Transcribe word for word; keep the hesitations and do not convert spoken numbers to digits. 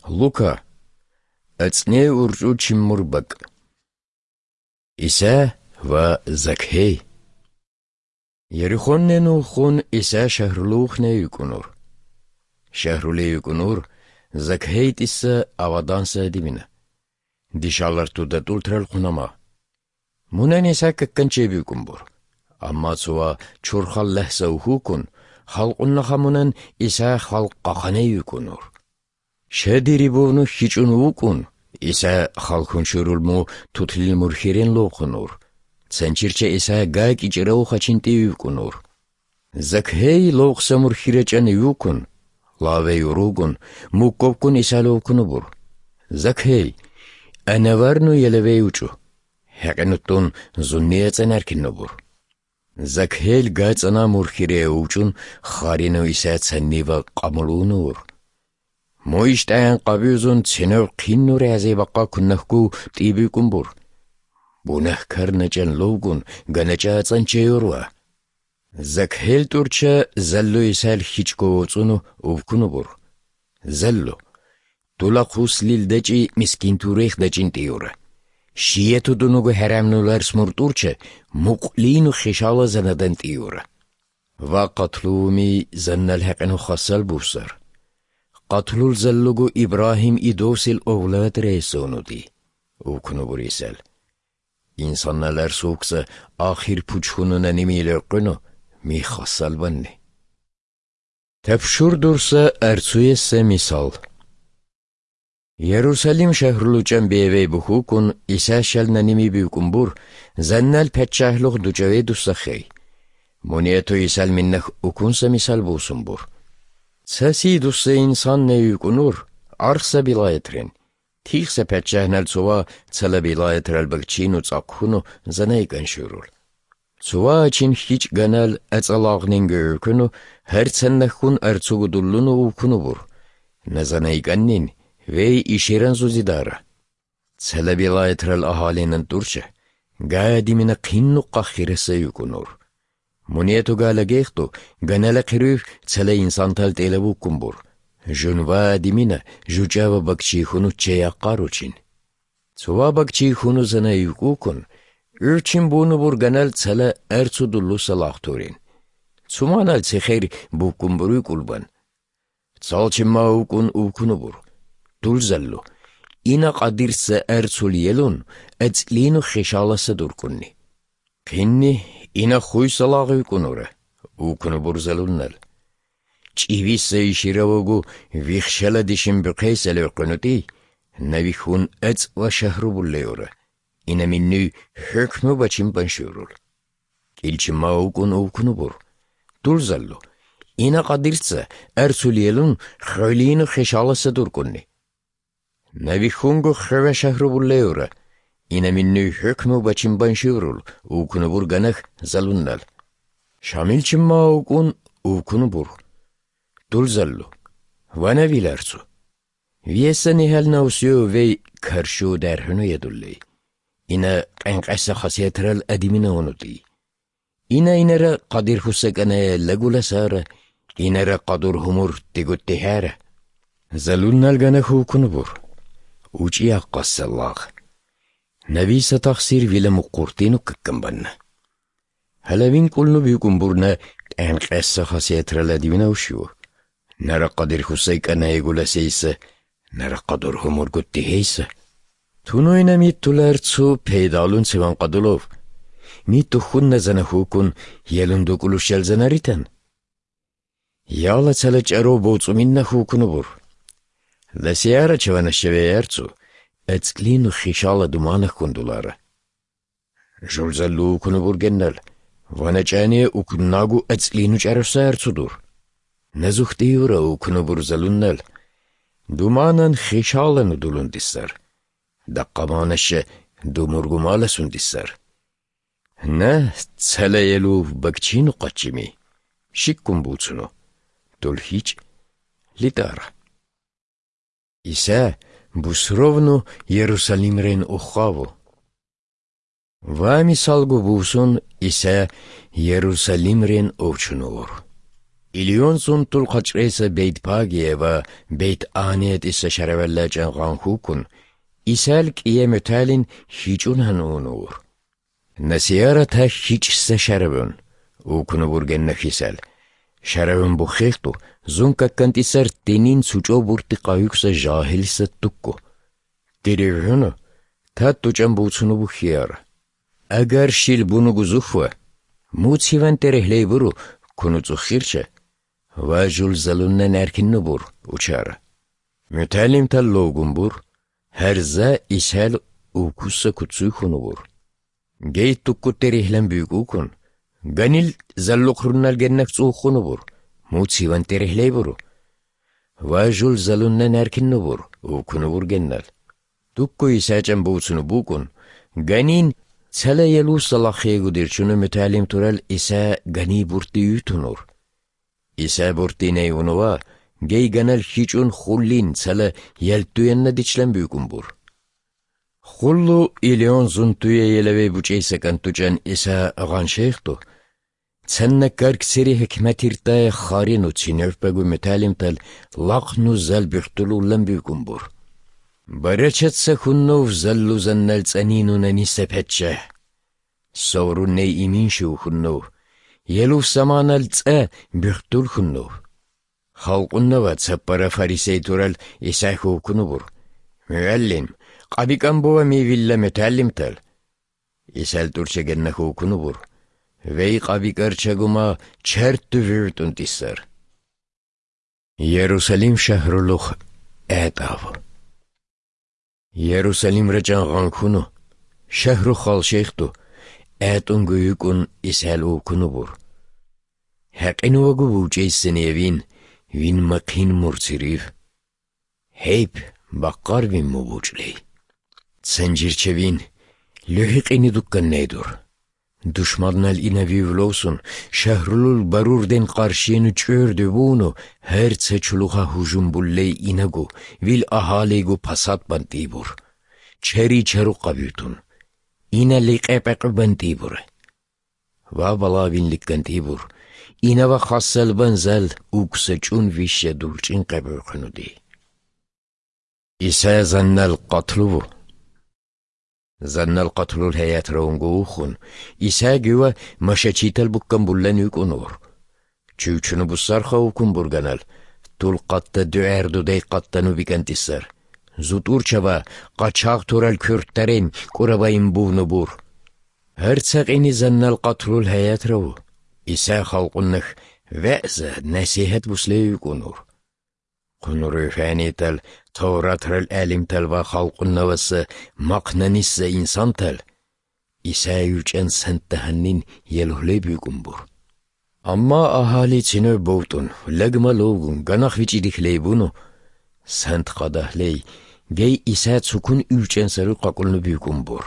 Լուկա, ըծնե ուրճու չիմմուրբակ։ Իսա վա Զաքհեյ։ Երիխոննեն ուխուն Իսա շահրլուխն է յուկունուր։ Շահրուլի յուկունուր Զաքհեյ տիսը ավադանսը դիմինը։ Դիշալարտու դատուլ թրել խունամա։ Մունեն Իսա կկնչեվ յուկունբուր։ Ամացուա չորխալ լəhսը ուխուկուն, խալყուննա խամունեն Իսա խալყախան է յուկունուր։ Շեդիրիբովնու խիճուն ուկուն, Իսա խալխուն շուրուլմու թութլիլ մուրխիրեն լոխունուր։ Ցենչիրչե Իսա գայք իջրը ուխաչինտի յուկունուր։ Զաքհեյ լոխսը մուրխիրեչան յուկուն, լավե յուրուգուն, մուկովկուն Իսա լոխունուբուր։ Զաքհեյ, անավարնու ելևե ուճու, հեղենուտուն զուննիեցեն արկինուբուր։ Զաքհեյ գայցանա մուրխիրե ուճուն, խարինու Իսա ցեննիվա կամուլունուր։ Մոիշտային կավյուզուն ցինով քիննուր ազեվակա քննախկու տիբիկումբուր։ Բունախ քարնեչեն լոգուն գանեչացան չեյորվա։ Զաքհեյ տուրչը զալլու Իսայլ խիչկովոցունու ուվքունուբուր։ Զալլու, տուլա խուսլիլ դեչի միսկին տուրեխ դեչին տիյորը։ Շիետու դունուգու հերամնուլար սմուր տուրչը մուկլինու խիշալը զանադեն տիյորը։ Վա կատլումի զաննալ հեղենու խասալ բուսար։ Կատլուլ զալլուգու Իբրահիմ իդոսիլ օվլատ ռեյսոնուդի, ուքնուբուր Իսայլ։ Ինսաննալար սուքսը ախիր պուչխունուն անիմի լրկունու մի խասալ բաննի։ Թեպշուր դուրսը արձույես է միսալ։ Երուսալիմ շահրլուճան բիևեյ բուխուկուն Իսա շալն անիմի բյուկումբուր զաննալ պետշահլուղ դուճավե դուսախեյ։ Մունիետու Իսայլ միննախ ուքունսը միսալ բուսումբուր։ Ցասի դուսը ինսանն է յուկունուր, արսը բիլայետրեն, թիխսը պետշահնալ ծուվա ցլը բիլայետրալ բգչին ու ծակքունու զանայ կանշուրուլ։ Ծուվա աչին խիչ գանալ ածալաղնին գյուրքունու հերցեննախուն արցուգու դուլլունու ուքունուբուր։ Նզանայ կաննին վեյ իշիրան զուզիդարը։ Ցլը բիլայետրալ ահալին ընտուրչը, գայա դիմինը քիննու կախիրսը յուկունուր։ Մունիետու գալագեխտու գանալը քրուվ ցլը ինսանտալ տելևու կումբուր։ Ժունվա դիմինը ժուճավը բակչի խունու չեյակարուչին։ Ծուվա բակչի խունու զնա յուկուկուն, ուրչին բունուբուր գանալ ցլը արցու դուլուսը լախտուրին։ Ծումանալ ցեխեր բուկումբուրի կուլբան։ Ցալչիմա ուկուն ուկունուբուր։ Դուլզալլու, ինա qadիրսը արցուլ ելուն, եց լինու խեշալասը դուրկուննի։ Քիննի ինա խույսը լաղ յուկունուրը, ուկունուբուր զալուննալ։ Ճիվիսը իշիրավոգու վիխշելը դիշին բկեյսել յուկունուտի, նավիխուն եց վաշահրուբուլ լեորը, ինա միննու հրկմու բաչին բանշուրուլ։ Կիլչիմա ուկուն ուկունուբուր։ Դուլզալլու, ինա qadիրսը արցուլ ելուն, խոլինու խեշալասը դուրկուննի։ Նավիխունգու խվաշահրուբուլ լեորը, ինա միննու հրկմու բաչին բանշուրուլ, ուկունուբուր գանախ զալուննալ։ Շամիլչիմա ուկուն ուկունուբուր։ Դուլզալլու, վանավիլ արցու։ Վիեսը նիհալ նաուսյու վեյ քարշու դարհնու եդուլլեի։ Ինա կենկասը խասիետրալ ադիմինը ունուտի։ Ինա իները qadիր խուսականը լագուլասարը, իները qadur հումուր տիգուտի հերը։ Զալուննալ գանախ ուկունուբուր։ Ուճի աղկասը լաղ։ Նավիսը տախսիր վիլը մուկուրտինու կկմբաննը։ Հալավին կուլնու բյուկումբուրնը կենկասը խասիետրալ ադիմինը ուշյու։ Նրա qadիր խուսականը եգուլասեյսը, նրա qadur հումուր գուտի հейսը։ Թունոյնը մի տուլարցու պեյդալուն ծիվան qadulով։ Մի տուխուննը զանախուկուն ելունդու կուլուշյալ զանարիտան։ Յալը ցալը ճարով բոծումիննա խուկունուբուր։ Լասիարը չվանաշևե արցու, եց լինու խիշալը դումանը խունդուլարը։ Ժուլզալու ուկունուբուր գեննալ, վանաճանի ուկննագու եց լինու ճարովսա արցուդուր։ Նզուխտի ուրը ուկունուբուր զալուննալ, դումանան խիշալն ու դուլուն դիսար, դակկամանաշը դումուրգումալը սուն դիսար։ Նա ցալը ելուվ բակչին ու կաչիմի, շիկկում բուծունու, դուլ հիչ լիտարը։ Իսա բուսրովնու Երուսալիմրեն ուխավու։ Վամի սալգու բուսուն Իսա Երուսալիմրեն օվչունուր։ Իլիոնսուն տուլ խաչրեսը բեյտ պագիևը բեյտ անիետ իսը շարավելլաճան ғանխուկուն, իսել կիե մյութալին հիճուն հանուն ուր։ Նասիարը թա հիճսը շարավուն, ուքունը վուրգեն նխիսել, շարավուն բուխեխտու, զունկա կանտիսար տենին ծուճո բուրտի կայուքսը ժահիլսը տուկկու։ Տիրիվյունը, թա տուճամբուցունը բուխիարը։ Ագար շիլ բունու գուզուխվը, մուց հիվան տերեհլեի բուրու, քունուծու խիրչը, վաժուլ զալուննեն արկիննու բուր, ուչարը։ Մյութալիմ թա լոգուն բուր, հերզա իսել ուքուսը կուծու խունու բուր։ Գեյ տուկկու տերեհլեն բյուկուքուն, գանիլ զալլուխրունալ գեննակ ծու խունու բուր, մուց հիվան տերեհլեի բուրու։ Վաժուլ զալուննեն արկիննու բուր, ուքունու բուր գեննալ։ Տուկկու իսաճան բուծունու բուկուն, գանին ցելը ելու սալախեգու դիրչունը մյութալիմ տուրալ իսա գանի բուրտի յութունուր։ Իսա բուրտին էի ունուվա, գեյ գանալ հիճուն խուլլին ցելը ելտույեննը դիչլեն բյուկուն բուր։ Խուլլու իլիոն զունտույե ելավեի բուճեյսը կանտուճան իսա ղանշեխտու, ցեննը կարգսերի հքմաթիր տայը խարին ու ցինև պեգու մյութալիմ տալ լախն ու զալ բյուրտուլու լն բյուկուն բուր։ Բարեչեցը խուննով զալլու զաննալ ծանին ունենի սեպետչը, սովրուննե իմինշի ու խուննով, ելուվ սամանալ ծը բյուրտուլ խուննով։ Խալկուննովա ծապպարա ֆարիսեի տուրալ իսայ խուկունու բուր։ Մյուալլիմ, Qabikambova mevilla mütellim tel. İsel turçegenne hukunu bur. Vey qabikarçaguma çertü vürtün tissar. Yerusalim şehruluh etav. Yerusalim recan gankunu. Şehru khal şeyhtu. Etun guyukun isel hukunu bur. Haqinu vagu buçeysin evin. Vin makin murtsiriv. Heyp bakkar vin mubuçley. Sencirçevin. Lühiqini dukkan neydur. Düşmanlar inavivlosun, şehrulul barurden karşıyını çördü bunu, her seçuluğa hücum bulley inagu, vil ahalegu pasat bantibur. Çeri çeruqa büytun. İna liqepeq bantibur. Va balavin likkantibur. İna va khassal banzal, uksaçun vişe dulçin qabıqnudi. İsa zannal qatluvu. Zannal qatlul hayat raunguukhun. İsa güve maşaçital bukkan bullan yük onur. Çüçünü bussarxa ukun burganal. Tul qatta düerdu dey qattanu bikantisar. Zutur çava qaçaq tural kürtterin kurabayın buvnu bur. Hertsaq ini zannal qatlul hayat ravu. İsa xalqunnıx ve'za nasihat buslay yük onur. Qunuru fanital Tavratral alimtal va xalqunnavası maqnanissa insantal. İsa yüçen sentahannin yeluhley büyükumbur. Amma ahali çinö boğtun, lagma logun, ganaq viçidikley bunu. Sant qadahley, gey İsa çukun yüçen sarı qaqulnu büyükumbur.